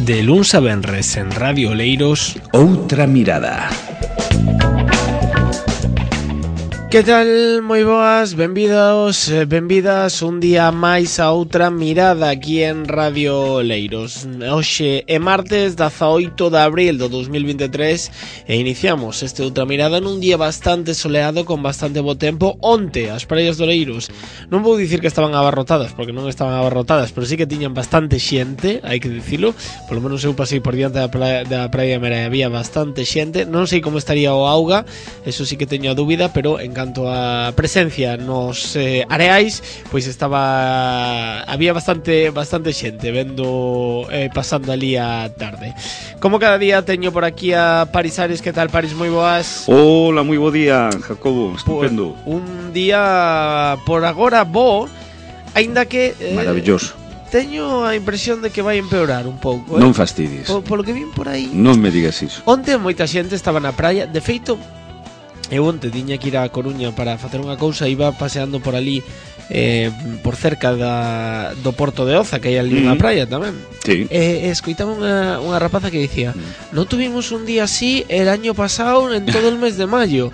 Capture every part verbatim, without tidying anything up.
De luns a venres en Radio Oleiros, Outra Mirada. Que tal? Moi boas, benvidos, benvidas un día máis a Outra Mirada aquí en Radio Oleiros. Hoxe é martes dezaoito de abril do dos mil vinte e tres e iniciamos este Outra Mirada nun día bastante soleado con bastante bo tempo. Onte as praias de Oleiros non vou dicir que estaban abarrotadas, porque non estaban abarrotadas, pero sí que tiñan bastante xente, hai que dicilo. Polo menos eu pasei por diante da praia, da praia Mera e había bastante xente. Non sei como estaría o auga, eso sí que teño a dúbida, pero en canto a presencia nos eh, areais, pois estaba había bastante bastante xente vendo eh, pasando ali a tarde. Como cada día teño por aquí a Paris Ares. Que tal, Paris? Moi boas. Hola, moi bo día, Jacobo, estupendo. Por un día por agora bo, aínda que eh, maravilloso. Teño a impresión de que vai empeorar un pouco, eh? Non fastidies. Por, polo que vin por aí. Non me digas iso. Onte moita xente estaba na praia. De feito, eu onte tiña que ir a Coruña para facer unha cousa. Iba paseando por ali eh, por cerca da, do Porto de Oza, que hai ali unha mm. praia tamén. Sí. E, e escoitaba unha, unha rapaza que dicía mm. non tuvimos un día así el año pasado en todo el mes de mayo.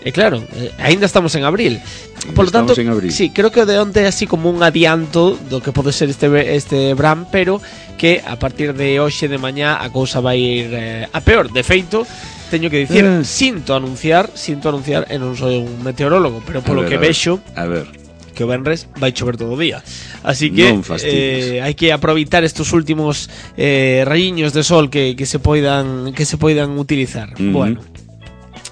E claro, eh, ainda estamos en abril. Por lo tanto, sí, creo que de onte é así como un adianto do que pode ser este, este verán, pero que a partir de hoxe de mañá a cousa vai ir eh, a peor. De feito, teño que dicir, eh. sinto anunciar, sinto anunciar, e non sou un meteorólogo, pero polo ver, que vexo, a ver, que o venres vai chover todo o día. Así que eh, hai que aproveitar estes últimos eh, rayiños de sol que, que se poidan que se poidan utilizar. Uh-huh. Bueno,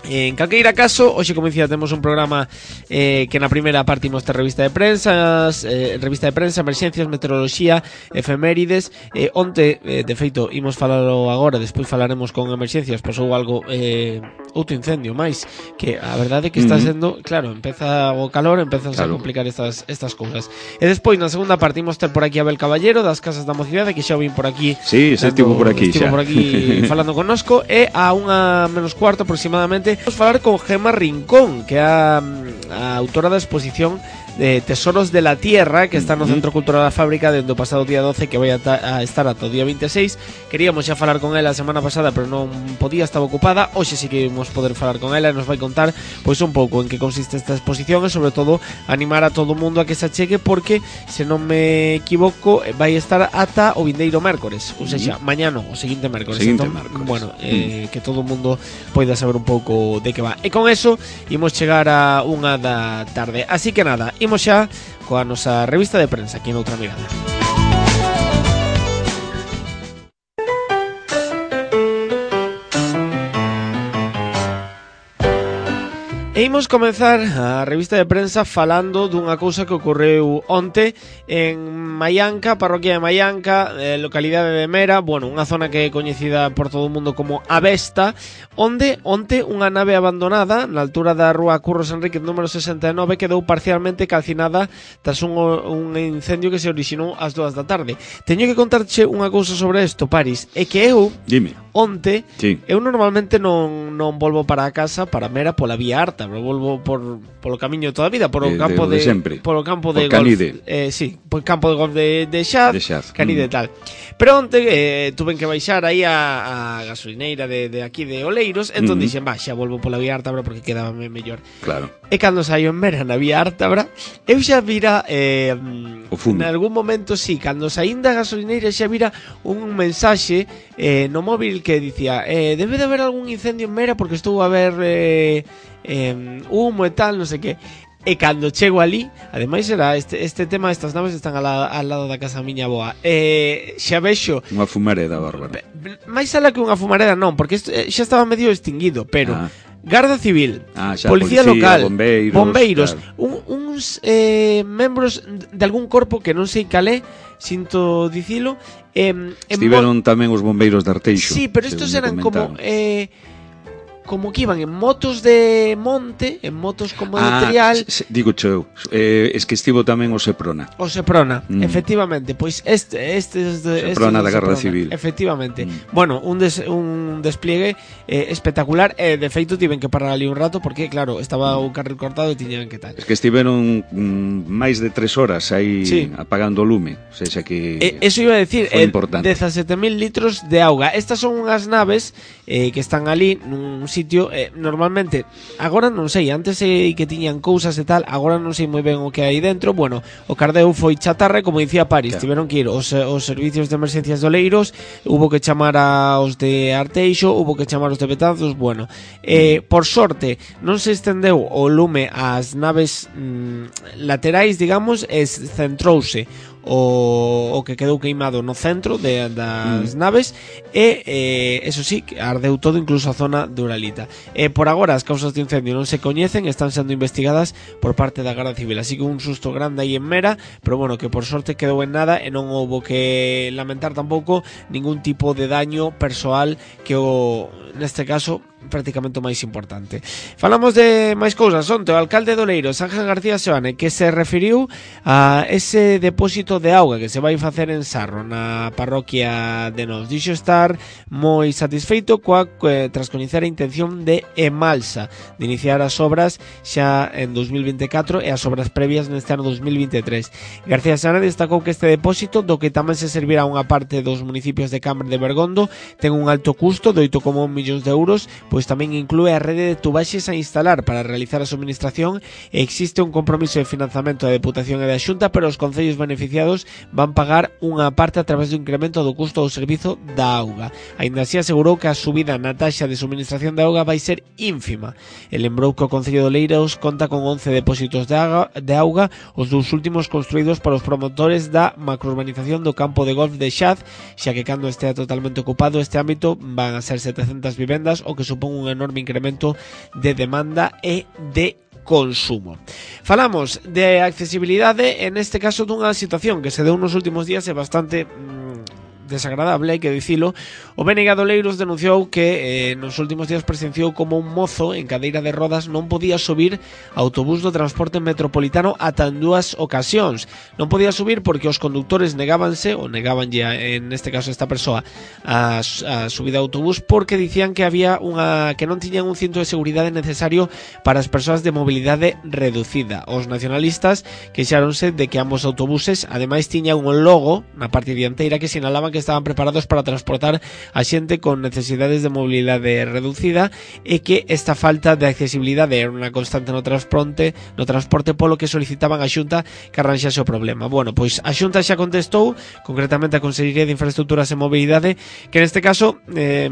en calqueira caso, hoxe, como dicía, temos un programa eh, que na primeira parte imos ter revista de prensa, eh, revista de prensa, emerxencias, meteoroloxía, efemérides. eh, Onte, eh, de feito, imos falalo agora, despois falaremos con emerxencias. Pasou algo, eh, outro incendio máis, que a verdade é que está sendo, claro, empeza o calor, empezan claro. a complicar estas, estas cousas. E despois, na segunda parte, imos ter por aquí a Abel Caballero, das Casas da Mocidade, que xa o vin por aquí. Sí, xa estivo por aquí, estivo xa. por aquí falando connosco. E a unha menos cuarto aproximadamente vamos falar con Gemma Rincón, que é a, a autora da exposición de Tesoros de la Tierra, que está no Centro Cultural da Fábrica dende o pasado día doce, que vai a, a estar ata o día vinte e seis. Queríamos xa falar con ela a semana pasada, pero non podía, estaba ocupada. Hoxe sí que imos poder falar con ela e nos vai contar pois un pouco en que consiste esta exposición e sobre todo animar a todo o mundo a que se achegue, porque se non me equivoco vai estar ata o vindeiro mércores, ou seja, mañá non, o seguinte mércores. Seguinte entón, mércores. Bueno, eh, que todo o mundo poida saber un pouco de que va. E con eso imos chegar a unha da tarde. Así que nada, imos xa coa nosa revista de prensa aquí en Outra Mirada. E imos comenzar a revista de prensa falando dunha cousa que ocorreu onte en Maianca, parroquia de Maianca, eh, localidade de Mera, bueno, unha zona que é coñecida por todo o mundo como A Vesta, onde onte unha nave abandonada na altura da rúa Curros Enríquez número sesenta e nove quedou parcialmente calcinada tras un, un incendio que se orixinou ás dúas da tarde. Teño que contarche unha cousa sobre isto, Paris, é que eu Dime. onte, sí. eu normalmente non, non volvo para a casa, para Mera, pola vía Arta, pero volvo por polo camiño de toda a vida, por o de, campo de, de, de polo campo por de Canide. golf, eh, sí, por campo de golf de, de Xaz, de Xaz. Canide mm. tal. Pero onte eh, tuven que baixar aí a, a gasolineira de, de aquí de Oleiros, entón mm. dixen, va, xa volvo pola vía Ártabra porque quedábame mellor. Claro. E cando saio en Mera na vía Ártabra, eu xa vira eh, en algún momento, sí, cando saín da gasolineira xa vira un mensaxe eh, no móvil que dicía eh, debe de haber algún incendio en Mera porque estou a ver eh, eh, humo e tal, non sei que. E cando chego ali, ademais era este, este tema, estas naves están al, al lado da casa miña boa, eh, xa vexo unha fumareda bárbara. máis alá que unha fumareda non, porque isto, eh, xa estaba medio extinguido, pero ah. Garda Civil, ah, xa, policía, policía local, bombeiros, bombeiros claro. un, uns eh, membros de algún corpo que non sei calé, sinto dicilo, eh, estiveron tamén os bombeiros de Arteixo. Sí, pero estos eran como eh, como que iban en motos de monte, en motos como de ah, trial. Se, digo eu, eh, es que estivo tamén o Seprona. O Seprona, mm. efectivamente, pois este este es de, Seprona este da Garda Civil. Efectivamente. Mm. Bueno, un des, un despliegue eh, espectacular, e eh, de feito tiven que parar ali un rato porque claro, estaba o carril cortado e tiñan que tal. Es que estiveron mm, máis de tres horas aí sí. apagando o lume, o sea, que eh, eso iba a decir, eh, dezasete mil litros de auga. Estas son unhas naves eh, que están ali nun sitio eh, normalmente, agora non sei, antes sei que tiñan cousas e tal, agora non sei moi ben o que hai dentro. Bueno, o cardeu foi chatarra, como dicía Paris, claro. Tiveron que ir os, os servicios de emergencias de Oleiros, hubo que chamar a os de Arteixo, hubo que chamar os de Betanzos. Bueno, eh, por sorte non se estendeu o lume ás naves mm, laterais, digamos, e centrouse o, o que quedou queimado no centro de, das mm. naves e, eh, eso sí, ardeu todo, incluso a zona de Uralita. E por agora as causas de incendio non se coñecen, están sendo investigadas por parte da Garda Civil, así que un susto grande aí en Mera, pero bueno, que por sorte quedou en nada e non houbo que lamentar tampouco ningún tipo de daño persoal, que o, neste caso, prácticamente o máis importante. Falamos de máis cousas. Onte o alcalde de Oleiros, Ángel García Seoane, que se referiu a ese depósito de auga que se vai facer en Sarro, na parroquia de Nos. Dixo estar moi satisfeito coa, eh, tras coñecer a intención de Emalsa de iniciar as obras xa en dos mil vinte e catro e as obras previas neste ano dos mil vinte e tres. García Seoane destacou que este depósito, do que tamén se servirá unha parte dos municipios de Cambre de Bergondo, ten un alto custo de oito coma un millóns de euros, pois tamén inclúe a rede de tubaxes a instalar para realizar a suministración e existe un compromiso de financiamento da Deputación e da Xunta, pero os concellos beneficiados van pagar unha parte a través do incremento do custo do servizo da auga. Aínda así asegurou que a subida na taxa de suministración de auga vai ser ínfima. E lembrou que o Concello de Oleiros conta con once depósitos de auga, de auga os dous últimos construídos por os promotores da macrourbanización do campo de golf de Xaz, xa que cando estea totalmente ocupado este ámbito van a ser setecentas vivendas, o que supón un enorme incremento de demanda e de consumo. Falamos de accesibilidade, en este caso dunha situación que se deu nos últimos días e bastante mmm, desagradable, hai que dicilo. O B N G de Oleiros denunciou que eh, nos últimos días presenciou como un mozo en cadeira de rodas non podía subir autobús do transporte metropolitano ata en dúas ocasións. Non podía subir porque os conductores negábanse, ou negabanlle en este caso esta persoa, a, a subida de autobús, porque dicían que había unha que non tiñan un cinto de seguridade necesario para as persoas de mobilidade reducida. Os nacionalistas queixáronse de que ambos autobuses ademais tiñan un logo na parte dianteira que sinalaban que estaban preparados para transportar a xente con necesidades de mobilidade reducida e que esta falta de accesibilidade era unha constante no transporte, no transporte polo que solicitaban a Xunta que arranxase o problema. Bueno, pois a Xunta xa contestou, concretamente a Consellería de Infraestructuras e Mobilidade, que neste caso eh,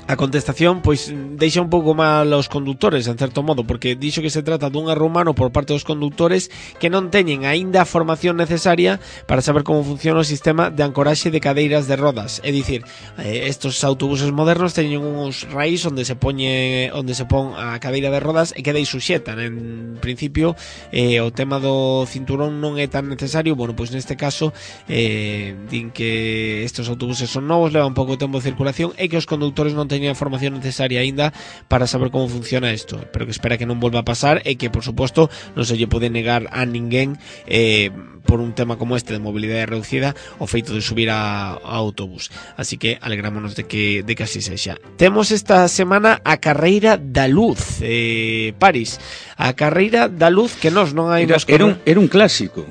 a contestación pois deixa un pouco mal aos conductores, en certo modo, porque dixo que se trata dun erro humano por parte dos conductores que non teñen aínda a formación necesaria para saber como funciona o sistema de ancoraxe de cadeiras de rodas. É dicir, eh, estos autobuses modernos teñen uns raíz onde se poñe onde se pon a cadeira de rodas e queda aí suxeta. En principio, eh, o tema do cinturón non é tan necesario. Bueno, pois neste caso eh, din que estos autobuses son novos, levan pouco tempo de circulación e que os conductores non teñen a formación necesaria aínda para saber como funciona isto, pero que espera que non volva a pasar e que, por suposto, non se lle pode negar a ninguén eh, por un tema como este de mobilidade reducida o feito de subir a, a autobús. Así que alegrámonos de que, de que así sexa. Temos esta semana a Carreira da Luz, eh, Paris, a Carreira da Luz que nós non hai era, era, un, era un clásico.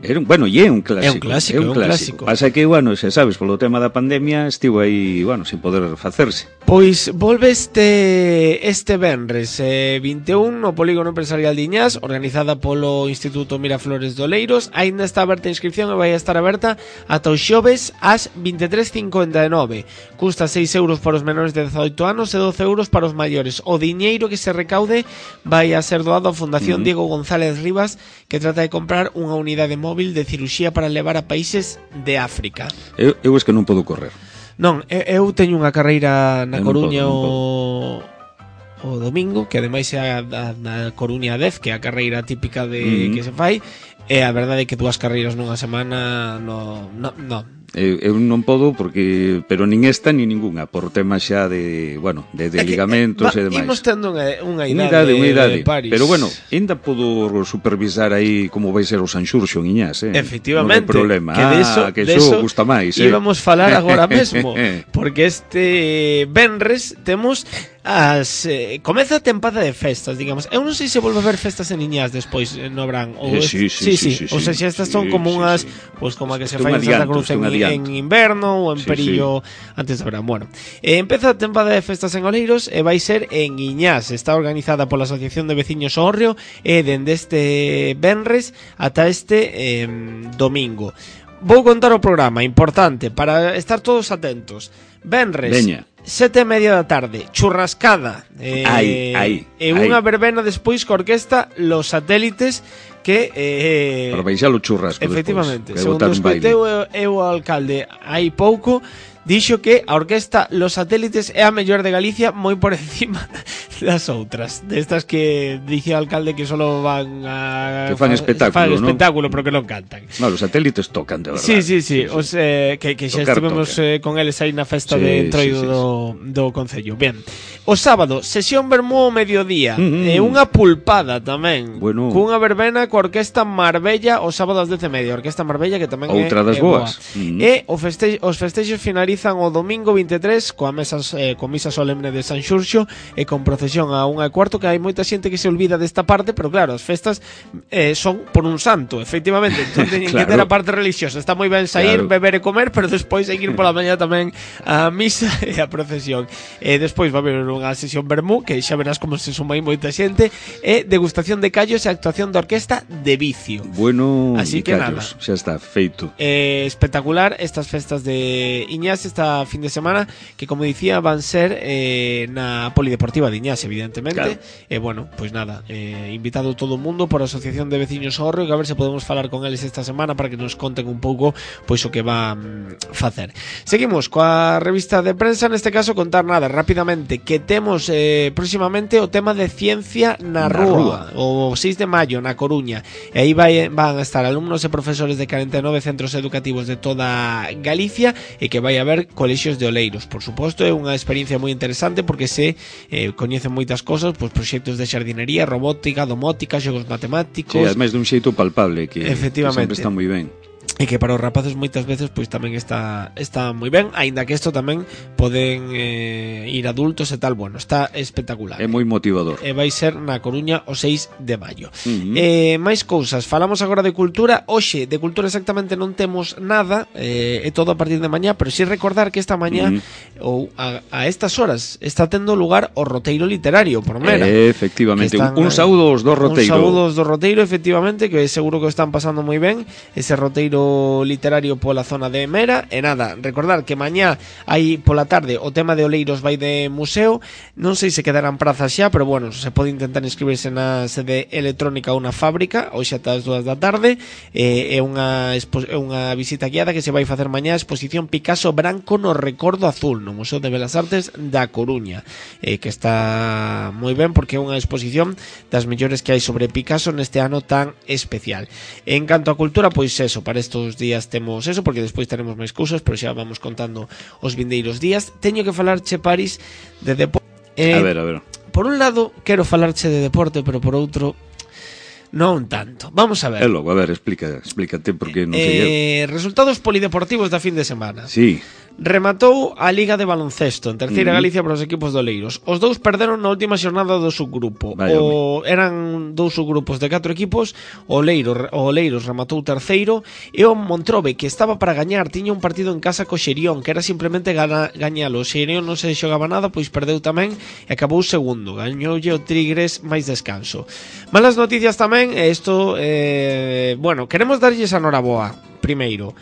Era un, bueno, e é un clásico. É un clásico, é un, un clásico. clásico. Pasa que, bueno, xa sabes, polo tema da pandemia estivo aí, bueno, sin poder facerse. Pois volve este este venres eh, vinte e un no Polígono Empresarial de Iñás, organizada polo Instituto Miraflores de Oleiros. Aínda está aberta a inscripción e vai a estar aberta ata os xoves ás vinte e tres cincuenta e nove. Custa seis euros para os menores de dezaoito anos e doce euros para os maiores. O diñeiro que se recaude vai a ser doado á Fundación uh-huh. Diego González Rivas, que trata de comprar unha unidade móvil de ciruxía para levar a países de África. Eu, eu es que non podo correr. Non, eu teño unha carreira na Coruña o, o domingo, que ademais é a, a, a Coruña dez, que é a carreira típica de mm-hmm. que se fai, E a verdade é que dúas carreiras nunha semana no, no, no. Eu, eu non podo porque pero nin esta nin ninguna por tema xa de, bueno, de, de ligamentos que, eh, e demais. Imos tendo unha, unha idade, idade, unha idade. Paris. Pero bueno, ainda podo supervisar aí como vai ser o Sanxurxo en Iñás, eh. Efectivamente. Non hai problema. Que de eso, ah, que de eso eso gusta máis, eh. Íbamos falar agora mesmo, porque este venres temos as eh, comeza a tempada de festas, digamos. Eu non sei se volve a ver festas en Iñás despois no verán ou eh, sí, sí, sí, sí, sí, sí, o sea, xa estas son sí, como sí, unhas, sí. pois como a que se Isto fai en Santa Cruz en, en inverno ou en sí, Perillo sí. Antes do verán. Bueno, eh, empeza a tempada de festas en Oleiros e vai ser en Iñás. Está organizada pola Asociación de Veciños Hórreo e dende este venres ata este eh, domingo. Vou contar o programa, importante, para estar todos atentos. Venres, Veña. Sete e media da tarde, churrascada eh, ai, ai, e unha verbena despois co orquesta Los Satélites que eh, para baixar o churrasco efectivamente, despois, segundo escoiteu eu o alcalde hai pouco dixo que a orquesta Los Satélites é a mellor de Galicia moi por encima das outras, destas que dixe o alcalde que solo van a que fan espectáculo, fan ¿no? espectáculo, pero que non cantan. No, los satélites tocan, de verdade. Sí, sí, sí, sí, sí. Os, eh, que, que xa tocar, estivemos eh, con eles aí na festa sí, de entroido sí, sí, do, do Concello. Ben, o sábado, sesión vermú ao mediodía, mm-hmm. e unha pulpada tamén, bueno. Cunha verbena coa orquesta Marbella o sábado ás dez e media, orquesta Marbella que tamén outra é, das é boas. Mm-hmm. E o feste os festexos finalizan o domingo vinte e tres coa mesa, eh, con misa solemne de San Xurxo e con procesión a unha e cuarto, que hai moita xente que se olvida desta parte, pero claro, as festas eh, son por un santo, efectivamente, entón teñen claro. que ter a parte religiosa. Está moi ben sair, claro. beber e comer, pero despois hai que ir pola mañá tamén a misa e a procesión. E despois va haber unha sesión vermú, que xa verás como se suma aí moita xente, e degustación de callos e actuación da orquesta de Vicio. Bueno, así que callos, nada. Xa está feito. Eh, espectacular estas festas de Iñás esta fin de semana, que como dicía van ser eh, na Polideportiva de Iñás, evidentemente. Claro. E eh, bueno, pois pues nada, eh, invitado todo o mundo por a Asociación de Veciños Hórreo, que a ver se podemos falar con eles esta semana para que nos conten un pouco pois o que va mm, facer. Seguimos coa revista de prensa, neste caso contar nada rapidamente que temos eh, próximamente o tema de ciencia na, na rúa, rúa, o seis de maio na Coruña, e aí vai, van a estar alumnos e profesores de cuarenta e nove centros educativos de toda Galicia e que vai haber colexios de Oleiros. Por suposto, é unha experiencia moi interesante porque se eh, coñecen moitas cosas, pois proxectos de xardinería, robótica, domótica, xogos matemáticos. Sí, ademais dun xeito palpable que, efectivamente, que sempre está moi ben. E que para os rapaces moitas veces pois tamén está está moi ben, aínda que isto tamén poden eh, ir adultos e tal, bueno, está espectacular. É moi motivador. E vai ser na Coruña o seis de maio. Uh-huh. Eh, máis cousas, falamos agora de cultura. Hoxe de cultura exactamente non temos nada, eh, é todo a partir de mañá, pero si recordar que esta mañá uh-huh. ou a, a estas horas está tendo lugar o roteiro literario por Mera. Eh, efectivamente, están, un saúdo aos do roteiro. Un saúdo aos do roteiro, efectivamente, que seguro que o están pasando moi ben ese roteiro literario pola zona de Mera. E nada, recordar que mañá hai pola tarde o tema de Oleiros vai de museo, non sei se quedarán prazas xa, pero bueno, se pode intentar inscribirse na sede electrónica ou na fábrica hoxe ata as dúas da tarde. É eh, unha, é unha visita guiada que se vai facer mañá a exposición Picasso Branco no Recordo Azul no Museo de Belas Artes da Coruña, eh, que está moi ben porque é unha exposición das mellores que hai sobre Picasso neste ano tan especial. En canto a cultura, pois eso, para estos días temos eso, porque despois teremos máis cousas, pero xa vamos contando os vindeiros días. Teño que falarche, Paris, de deporte. Eh, a ver, a ver. Por un lado, quero falarche de deporte, pero por outro, non tanto. Vamos a ver. É logo, a ver, explica, explícate porque non sei eh, eu. Resultados polideportivos da fin de semana. Sí. Rematou a Liga de Baloncesto en terceira uh-huh. Galicia para os equipos de Oleiros. Os dous perderon na última xornada do subgrupo. Vaya, o, eran dous subgrupos de catro equipos. O Oleiros, o Oleiros rematou terceiro e o Montrobe, que estaba para gañar, tiña un partido en casa co Xerión, que era simplemente gana, gañalo. O Xerión non se xogaba nada, pois perdeu tamén e acabou segundo. Gañoulle o Tigres máis descanso. Malas noticias tamén, e isto eh, bueno, queremos darlles a noraboa primeiro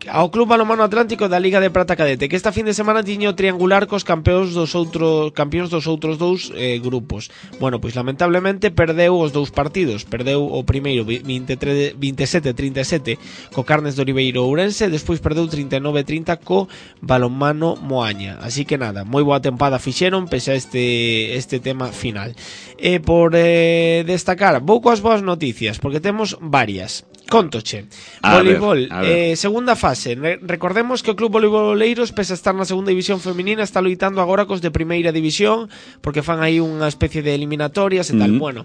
ao Club Balonmano Atlántico da Liga de Prata Cadete, que esta fin de semana tiño triangular cos campeóns dos outros campións dos outros dous eh, grupos. Bueno, pois lamentablemente perdeu os dous partidos. Perdeu o primeiro veintitrés, veintisiete a trinta e sete co Carnes de Oliveiro Ourense, despois perdeu trinta e nove a trinta co Balonmano Moaña. Así que nada, moi boa tempada fixeron pese a este este tema final. E por eh, destacar, vou coas boas noticias, porque temos varias. Contoche. A Voleibol, ver, a ver. eh, segunda fase. Re recordemos que o Club Voleibol Oleiros, pese a estar na segunda división feminina, está loitando agora cos de primeira división, porque fan aí unha especie de eliminatorias e tal. Mm. Bueno,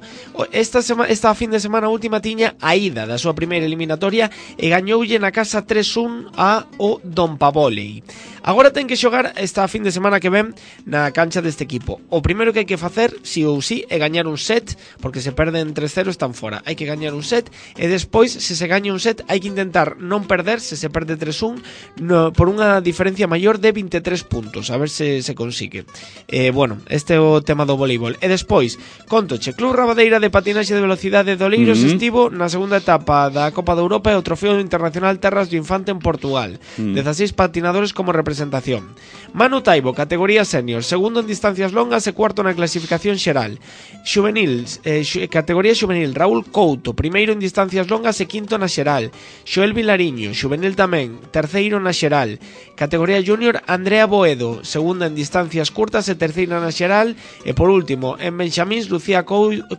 esta, sema, esta fin de semana última tiña a ida da súa primeira eliminatoria e gañoulle na casa tres un a o Don Pavolei. Agora ten que xogar esta fin de semana que ven na cancha deste equipo. O primeiro que hai que facer, si ou si, é gañar un set, porque se perden tres cero están fora. Hai que gañar un set e despois, se se gaña un set, hai que intentar non perder, se se perde tres un, no, por unha diferencia maior de vinte e tres puntos, a ver se se consigue. Eh, bueno, este é o tema do voleibol. E despois, contoche, Club Rabadeira de Patinaxe de Velocidade de Oleiros Mm-hmm. estivo na segunda etapa da Copa de Europa e o Trofeo Internacional Terras do Infante en Portugal. Mm. dezasseis patinadores como representación. Manu Taibo, categoría senior, segundo en distancias longas e cuarto na clasificación xeral. Xuvenil, eh, xu, categoría xuvenil, Raúl Couto, primeiro en distancias longas e quinto na xeral. Xoel Vilariño, xuvenil tamén, terceiro na xeral. Categoría junior, Andrea Boedo, segunda en distancias curtas e terceira na xeral. E por último, en Benxamíns, Lucía Couto,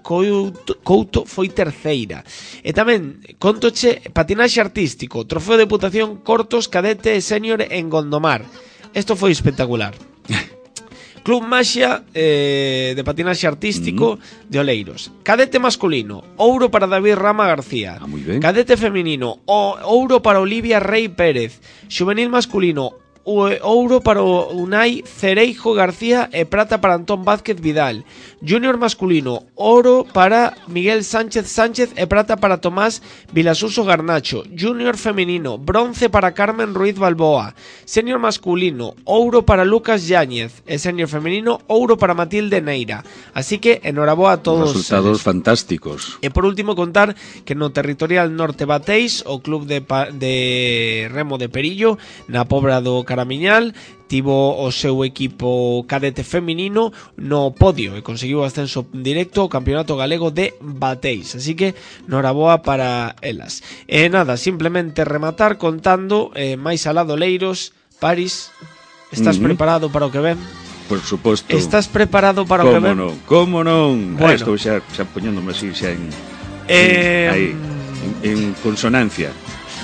Couto foi terceira. E tamén, contoche, patinaxe artístico, trofeo de Deputación cortos, cadete e senior en Gondomar. Esto foi espectacular. Club Maxia eh, de patinaxe artístico mm. de Oleiros. Cadete masculino, ouro para David Rama García. Ah, muy ben. Cadete femenino, o, ouro para Olivia Rey Pérez. Xuvenil masculino, ouro para Unai Cereijo García e prata para Antón Vázquez Vidal. Junior masculino, oro para Miguel Sánchez Sánchez e prata para Tomás Vilasuso Garnacho. Junior femenino, bronce para Carmen Ruiz Balboa. Senior masculino, ouro para Lucas Yáñez e senior femenino, ouro para Matilde Neira. Así que enhoraboa a todos. Resultados eles. fantásticos. E por último contar que no territorial norte bateis o club de, de remo de Perillo na Pobra do Caramiñal tivo o seu equipo cadete feminino no podio e conseguiu o ascenso directo ao Campeonato Galego de Bateis, así que noraboa para elas. E nada, simplemente rematar contando eh, máis alá do Leiros. Paris, estás uh-huh. preparado para o que ven? Por suposto. Estás preparado para o que ven? Como non, como non. Bueno. Ah, estou xa, xa poñéndome así xa en, eh... en, aí, en, en consonancia.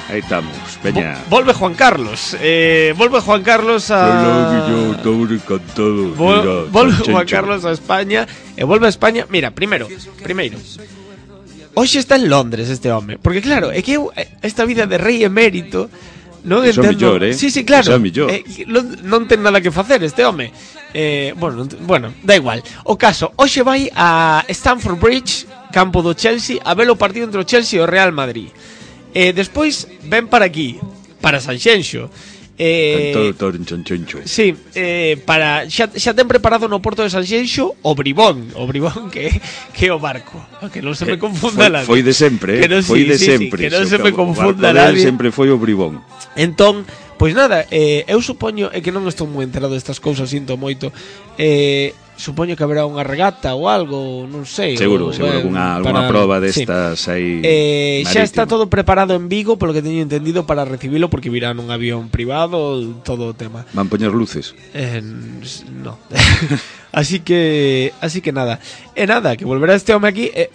Aí estamos, veña. Volve Juan Carlos. Eh, volve Juan Carlos a... Yo estou encantado. Vol Mira, volve Chencho. Juan Carlos a España. E volve a España. Mira, primeiro, primeiro. Hoxe está en Londres este home. Porque claro, é que eu, esta vida de rei emérito non Eso entendo. millor, eh? Sí, sí, claro. Eso millor. Eh, non, non ten nada que facer este home. Eh, bueno, bueno, da igual. O caso, hoxe vai a Stamford Bridge, campo do Chelsea, a ver o partido entre o Chelsea e o Real Madrid. E eh, despois ven para aquí, para Sanxenxo. Eh, sí, eh, para xa, xa ten preparado no porto de Sanxenxo o Bribón, o Bribón que, que é o barco, que non se me confunda nadie. Foi de sempre, eh? Foi de sí, sempre. Sí, que non se o me confunda nadie. nadie. Sempre foi o Bribón. Entón, pois nada, eh, eu supoño, é que non estou moi enterado destas cousas, sinto moito. Eh, supoño que haberá unha regata ou algo, non sei. Seguro, ou, seguro, ben, alguna, para... alguna proba destas sí. aí. Eh, xa está todo preparado en Vigo, polo que teño entendido, para recibilo, porque virá nun avión privado, todo o tema. Van poñer luces? Eh, no. así que, así que nada. E eh, nada, que volverá este home aquí. Eh,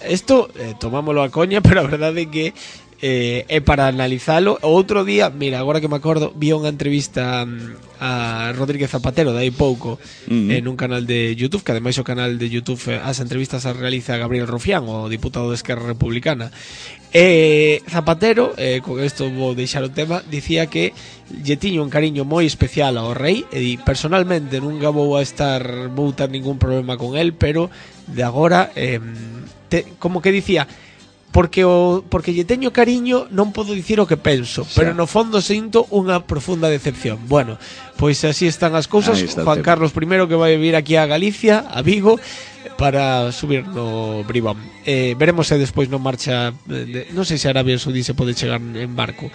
esto, eh, tomámoslo a coña, pero a verdade é que eh, é para analizalo. O outro día, mira, agora que me acordo, vi unha entrevista a Rodríguez Zapatero de aí pouco uh-huh. en un canal de YouTube, que ademais o canal de YouTube as entrevistas as realiza Gabriel Rufián, o diputado de Esquerra Republicana. E Zapatero, eh, con isto vou deixar o tema, dicía que lle tiño un cariño moi especial ao rei e personalmente nunca vou a estar vou ter ningún problema con el, pero de agora eh, te, como que dicía porque o porque lle teño cariño non podo dicir o que penso, xa. Pero no fondo sinto unha profunda decepción. Bueno, pois así están as cousas. Juan Carlos I que vai vir aquí a Galicia, a Vigo, para subir no Bribón. Eh, veremos se despois non marcha, de, non sei se Arabia Saudí se pode chegar en barco.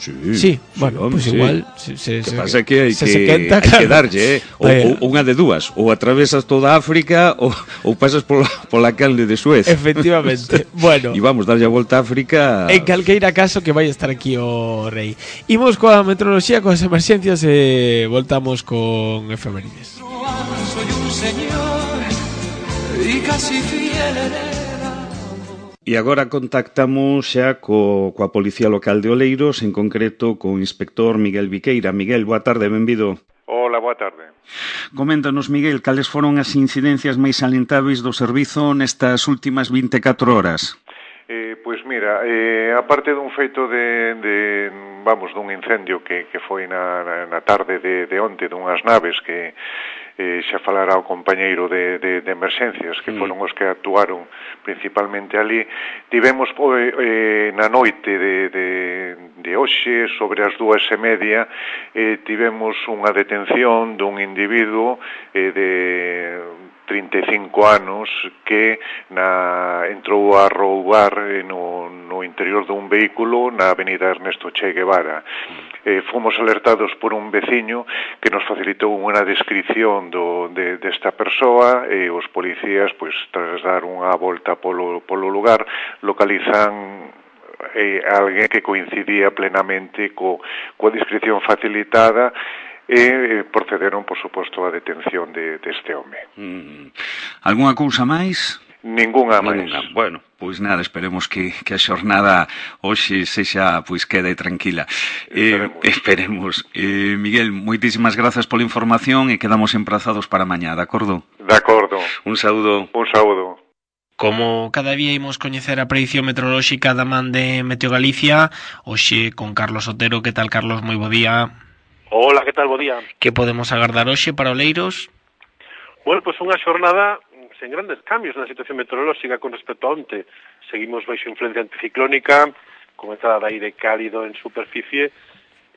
Sí, sí, bueno, sí, pues sí. igual se, se, que se, pasa que hai se, que, se quenta, hai claro. que darlle, eh? ou, ou unha de dúas, ou atravesas toda África ou, ou pasas pola, pola calde de Suez. Efectivamente. Bueno, e vamos darlle a volta a África. En calqueira caso que vai estar aquí o rei. Imos coa meteoroloxía, coas emerxencias e voltamos con efemérides. Soy un señor y casi fiel E agora contactamos xa co, coa Policía Local de Oleiros, en concreto co inspector Miguel Viqueira. Miguel, boa tarde, benvido. Hola, boa tarde. Coméntanos, Miguel, cales foron as incidencias máis salientáveis do servizo nestas últimas vinte e catro horas? Eh, pois mira, eh, aparte dun feito de, de vamos, dun incendio que, que foi na, na, na tarde de, de onte dunhas naves que eh, xa falará o compañeiro de, de, de emerxencias que foron os que actuaron principalmente ali, tivemos eh, na noite de, de, de hoxe, sobre as dúas e media, eh, tivemos unha detención dun individuo eh, de trinta e cinco anos que na, entrou a roubar eh, no, no interior dun vehículo na avenida Ernesto Che Guevara. Eh, fomos alertados por un veciño que nos facilitou unha descripción do, de, desta persoa e os policías, pois, tras dar unha volta polo, polo lugar, localizan eh, alguén que coincidía plenamente co, coa descripción facilitada e procederon, por suposto, a detención de, deste home. Mm. Algúnha cousa máis? Ninguna máis. Ninguna. Bueno, pois nada, esperemos que, que a xornada hoxe sexa, pois, queda e tranquila. Esperemos. Eh, esperemos. Eh, Miguel, moitísimas grazas pola información e quedamos emprazados para mañá, de acordo? De acordo. Un saúdo. Un saúdo. Como cada día imos coñecer a predicción meteorolóxica da man de Meteo Galicia, hoxe con Carlos Otero. Que tal, Carlos? Moi bo día. Hola, que tal, bo día. Que podemos agardar hoxe para Oleiros? Bueno, pois pues unha xornada sen grandes cambios na situación meteorolóxica con respecto a onte. Seguimos baixo influencia anticiclónica, con entrada de aire cálido en superficie,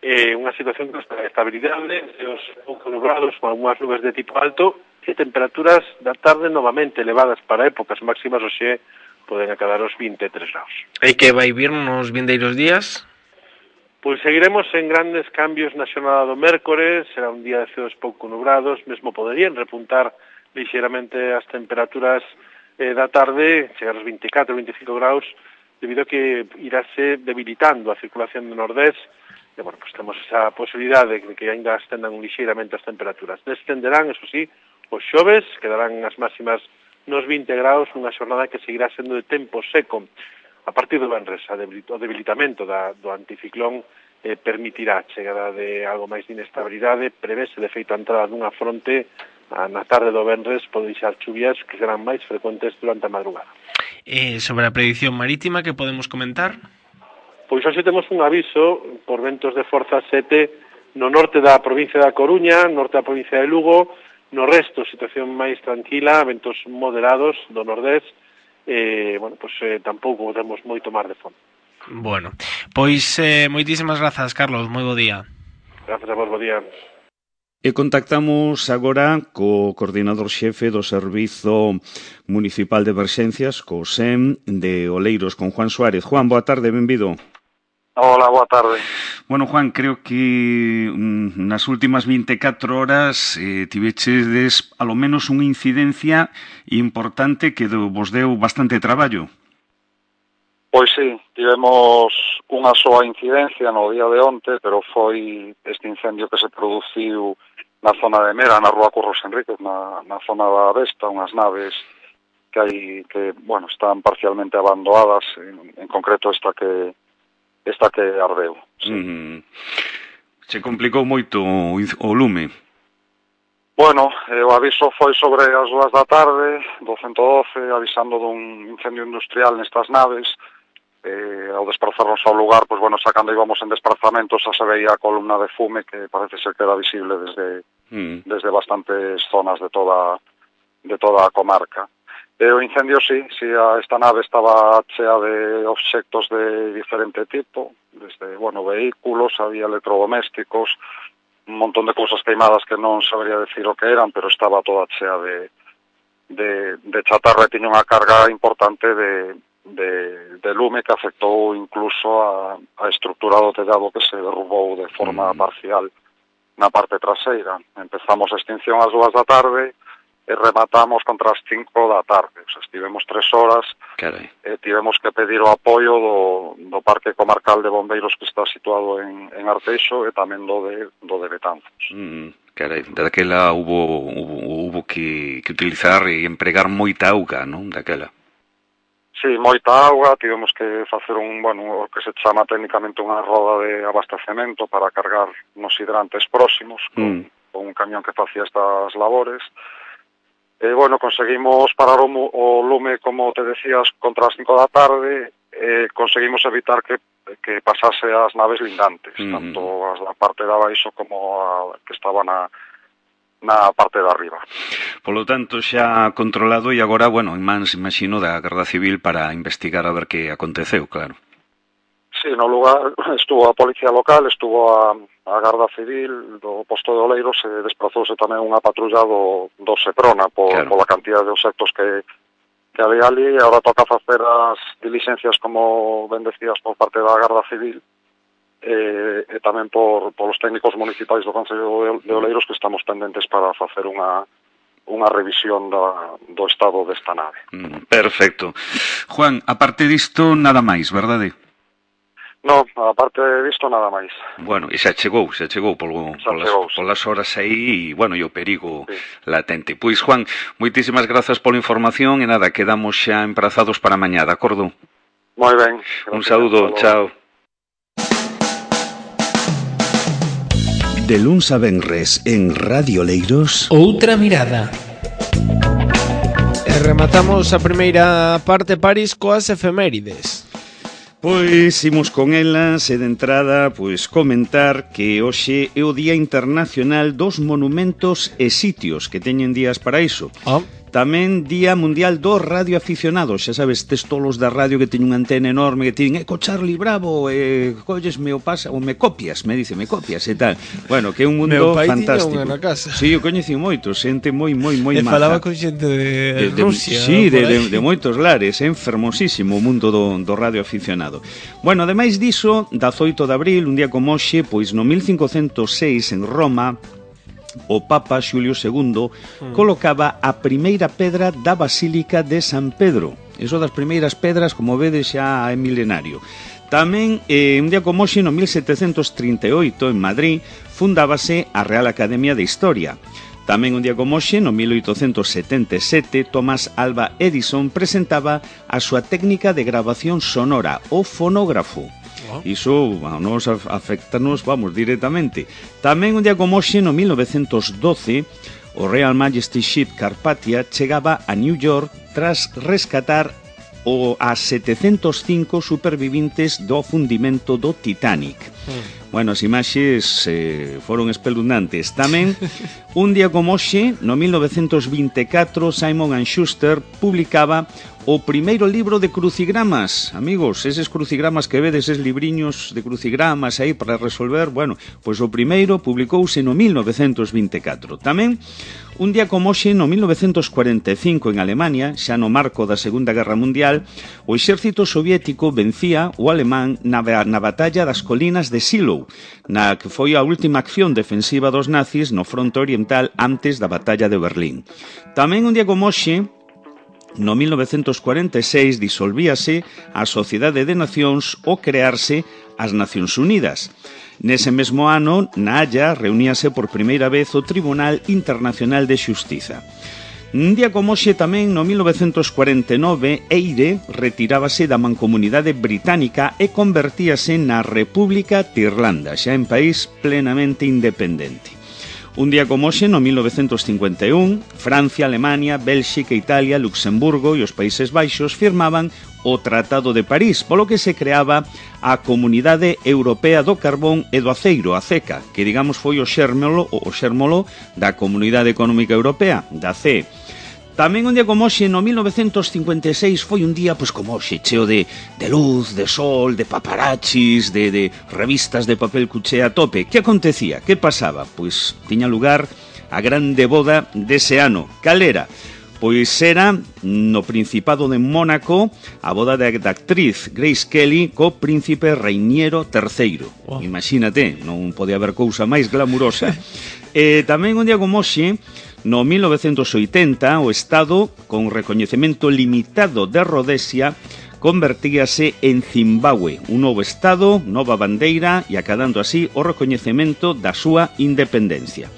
eh, unha situación con estabilidade, os pouco nublados, con algunhas nubes de tipo alto, e temperaturas da tarde novamente elevadas para épocas máximas, hoxe poden acadar os vinte e tres graus. E que vai vir nos vindeiros días? Pois seguiremos en grandes cambios na xornada do mércores, será un día de ceos pouco nubrados, mesmo poderían repuntar lixeiramente as temperaturas eh, da tarde, chegar aos vinte e catro, vinte e cinco graus, debido a que irase debilitando a circulación do nordés, e, bueno, pues temos esa posibilidade de que ainda astendan lixeiramente as temperaturas. Descenderán, eso sí, os xoves, quedarán as máximas nos vinte graus, nunha xornada que seguirá sendo de tempo seco. A partir do venres, o debilitamento da, do anticiclón eh, permitirá a chegada de algo máis de inestabilidade, prevese de feito a entrada dunha fronte a, na tarde do venres, pode deixar chuvias que serán máis frecuentes durante a madrugada. Eh, sobre a predicción marítima, que podemos comentar? Pois hoxe temos un aviso por ventos de forza sete no norte da provincia da Coruña, norte da provincia de Lugo, no resto situación máis tranquila, ventos moderados do nordés, eh, bueno, pois eh, tampouco temos moito mar de fondo. Bueno, pois eh, moitísimas grazas, Carlos, moi bo día. Grazas a vos, bo día. E contactamos agora co coordinador xefe do Servizo Municipal de Emerxencias, co S E M de Oleiros, con Juan Suárez. Juan, boa tarde, benvido. Hola, boa tarde. Bueno, Juan, creo que mm, nas últimas vinte e catro horas eh, tivechedes alo menos unha incidencia importante que do, vos deu bastante traballo. Pois sí, tivemos unha soa incidencia no día de onte, pero foi este incendio que se produciu na zona de Mera, na rúa Curros Enríquez, na, na zona da Vesta, unhas naves que hai que, bueno, están parcialmente abandonadas, en, en concreto esta que esta que ardeu. Sí. Mm. Se complicou moito o, o lume. Bueno, eh, o aviso foi sobre as dúas da tarde, do ciento doce, avisando dun incendio industrial nestas naves. Eh, ao desplazarnos ao lugar, pois bueno, sacando íbamos en desplazamentos, xa se veía a columna de fume que parece ser que era visible desde, mm. desde bastantes zonas de toda, de toda a comarca. E o incendio, sí, sí, esta nave estaba chea de obxectos de diferente tipo, desde, bueno, vehículos, había electrodomésticos, un montón de cousas queimadas que non sabría decir o que eran, pero estaba toda chea de, de, de chatarra e tiña unha carga importante de, de, de lume que afectou incluso a, a estrutura do tellado que se derrubou de forma mm. parcial na parte traseira. Empezamos a extinción ás dúas da tarde, e rematamos contra as cinco da tarde. O sea, estivemos tres horas. Carai. E tivemos que pedir o apoio do, do Parque Comarcal de Bombeiros que está situado en, en Arteixo e tamén do de, do de Betanzos. Mm, carai, daquela hubo, hubo, hubo que, que utilizar e empregar moita auga, non? Daquela. Sí, moita auga, tivemos que facer un, bueno, o que se chama técnicamente unha roda de abastecemento para cargar nos hidrantes próximos con, mm. con un camión que facía estas labores. E, bueno, conseguimos parar o, o lume, como te decías, contra as cinco da tarde, e conseguimos evitar que, que pasase as naves lindantes, mm. tanto as da parte de abaixo como a que estaba na na parte de arriba. Polo tanto, xa controlado e agora, bueno, en mans, imagino, da Garda Civil para investigar a ver que aconteceu, claro. Sí, no lugar estuvo a Policía Local, estuvo a, a Garda Civil do posto de Oleiros, e desplazouse tamén unha patrulla do, do Seprona por, claro. pola cantidad de obxectos que, que había ali, e agora toca facer as diligencias, como ben decías, por parte da Garda Civil, e, e tamén por, por os técnicos municipais do Concello de Oleiros, que estamos pendentes para facer unha unha revisión da, do estado desta nave. Mm, perfecto. Juan, aparte disto, nada máis, verdade? No, aparte disto, nada máis. Bueno, e xa chegou, xa chegou polo, xa polas, chegou, polas horas aí, e, bueno, e o perigo sí. latente. Pois, Juan, moitísimas grazas pola información, e nada, quedamos xa emprazados para mañá, de acordo? Moi ben. Un saúdo, chao. De luns a venres en Radio Leiros, Outra Mirada. E rematamos a primeira parte, París, coas efemérides. Pois imos con elas e de entrada pois comentar que hoxe é o Día Internacional dos Monumentos e Sitios, que teñen días para iso. Ah. Tamén Día Mundial dos Radioaficionados. Xa sabes, tes tolos da radio que teñen unha antena enorme, que teñen, eco Charlie Bravo, e collesme o pasa, ou me copias, me dice, me copias e tal. Bueno, que é un mundo fantástico. Meu pai tiña unha na casa. Sí, eu coñeci moito, xente moi, moi, moi maja. E falaba con xente de, de Rusia. Sí, de, de, de moitos lares, é fermosísimo o mundo do, do radioaficionado. Bueno, ademais diso, dezoito de abril, un día como hoxe, pois no mil cincocentos seis en Roma, o Papa Xulio segundo mm. colocaba a primeira pedra da Basílica de San Pedro. Eso das primeiras pedras, como vedes, xa é milenario. Tamén, eh, un día como hoxe, no mil setecentos trinta e oito, en Madrid, fundábase a Real Academia de Historia. Tamén un día como hoxe, no mil oitocentos setenta e sete, Thomas Alva Edison presentaba a súa técnica de grabación sonora, o fonógrafo. Iso a nos afectanos, vamos, directamente. Tamén un día como hoxe, no mil novecentos doce, o Royal Majesty Ship Carpathia chegaba a New York tras rescatar o a setecentos cinco supervivintes do fundimento do Titanic. Mm. Bueno, as imaxes eh, foron espeluznantes. Tamén, un día como hoxe, no mil novecentos vinte e catro, Simon and Schuster publicaba o primeiro libro de crucigramas. Amigos, eses crucigramas que vedes, eses libriños de crucigramas aí para resolver, bueno, pois o primeiro publicouse no mil novecentos vinte e catro. Tamén, un día como hoxe, no mil novecentos cuarenta e cinco, en Alemania, xa no marco da Segunda Guerra Mundial, o exército soviético vencía o alemán na, na batalla das colinas de Silo, na que foi a última acción defensiva dos nazis no fronte oriental antes da batalla de Berlín. Tamén un día como hoxe, no mil novecentos cuarenta e seis, disolvíase a Sociedade de Nacións ao crearse as Nacións Unidas. Nese mesmo ano, na Haya, reuníase por primeira vez o Tribunal Internacional de Xustiza. Un día como hoxe tamén, no mil novecentos cuarenta e nove, Eire retirábase da mancomunidade británica e convertíase na República de Irlanda, xa en país plenamente independente. Un día como hoxe, no mil novecentos cincuenta e un, Francia, Alemania, Bélxica, Italia, Luxemburgo e os Países Baixos firmaban o Tratado de París, polo que se creaba a Comunidade Europea do Carbón e do Aceiro, a CECA, que digamos foi o xérmolo, o xérmolo da Comunidade Económica Europea, da C E. Tamén un día como hoxe, no mil novecentos cincuenta e seis, foi un día, pois como hoxe, cheo de, de luz, de sol, de paparachis, de, de revistas de papel cuché a tope. Que acontecía? Que pasaba? Pois tiña lugar a grande boda dese ano. Cal era? Pois era no Principado de Mónaco a boda da actriz Grace Kelly co príncipe Reiniero terceiro. Oh. Imagínate, non podía haber cousa máis glamurosa. E tamén un día como hoxe, no mil novecentos oitenta, o Estado, con recoñecemento limitado de Rodesia, convertíase en Zimbabue, un novo Estado, nova bandeira e acadando así o recoñecemento da súa independencia.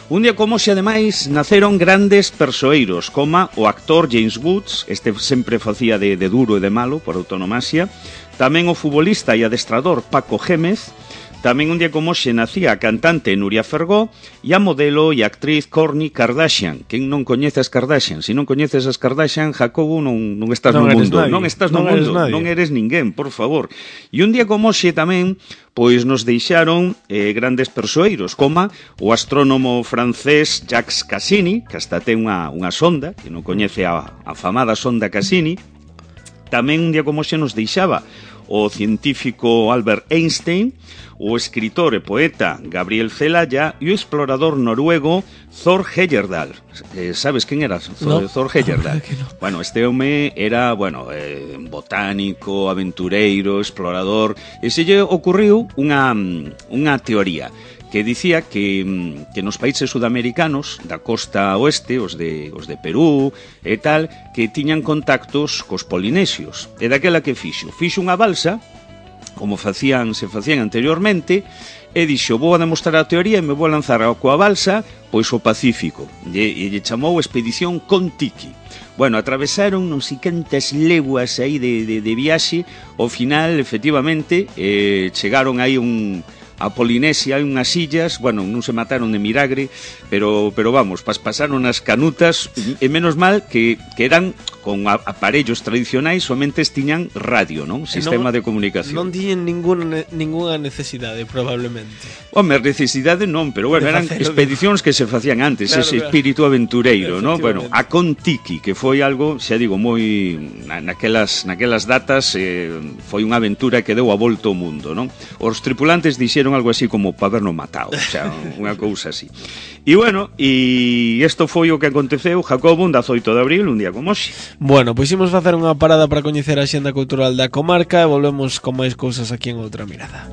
Un día como hoxe, ademais, naceron grandes persoeiros, como o actor James Woods, este sempre facía de, de duro e de malo, por autonomasia, tamén o futbolista e adestrador Paco Gémez, tamén un día como hoxe nacía a cantante Nuria Fergó e a modelo e actriz Kourtney Kardashian. Quen non coñece as Kardashian? Se non coñeces as Kardashian, Jacobo, non, non estás non no mundo. Nadie. Non estás no non mundo, non eres ninguén, por favor. E un día como hoxe tamén, pois nos deixaron eh, grandes persoeiros, como o astrónomo francés Jacques Cassini, que hasta ten unha, unha sonda, que non coñece a, a famada sonda Cassini. Tamén un día como hoxe nos deixaba o científico Albert Einstein, o escritor e poeta Gabriel Celaya e o explorador noruego Thor Heyerdahl. Eh, sabes quen era Thor, no. Thor Heyerdahl? No. Bueno, este home era, bueno, eh, botánico, aventureiro, explorador, e se lle ocurriu unha, unha teoría que dicía que, que nos países sudamericanos da costa oeste, os de, os de Perú e tal, que tiñan contactos cos polinesios. E daquela que fixo? Fixo unha balsa, como facían, se facían anteriormente, e dixo, vou a demostrar a teoría e me vou a lanzar coa balsa pois o Pacífico. E, e lle chamou Expedición Kon-Tiki. Bueno, atravesaron non sei cantas leguas aí de, de, de viaxe, ao final, efectivamente, eh, chegaron aí un... a Polinesia, hai unhas illas, bueno, non se mataron de milagre, pero pero vamos, pas, pasaron as canutas, e menos mal que, que eran con a, aparellos tradicionais, somente tiñan radio, non? Sistema non, de comunicación. Non tiñen ninguna, ninguna necesidade, probablemente. Home, necesidade non, pero bueno, eran expedicións que se facían antes, claro, ese claro. Espírito aventureiro, non? Bueno, a Kon-Tiki, que foi algo, xa digo, moi na, naquelas, naquelas datas eh, foi unha aventura que deu a volta ao mundo, non? Os tripulantes dixeron algo así como para habernos matado, o sea, unha cousa así. E bueno, e isto foi o que aconteceu, Jacobo, un dezaoito de abril, un día como hoxe. Bueno, pois imos facer unha parada para coñecer a xenda cultural da comarca e volvemos con máis cousas aquí en Outra Mirada.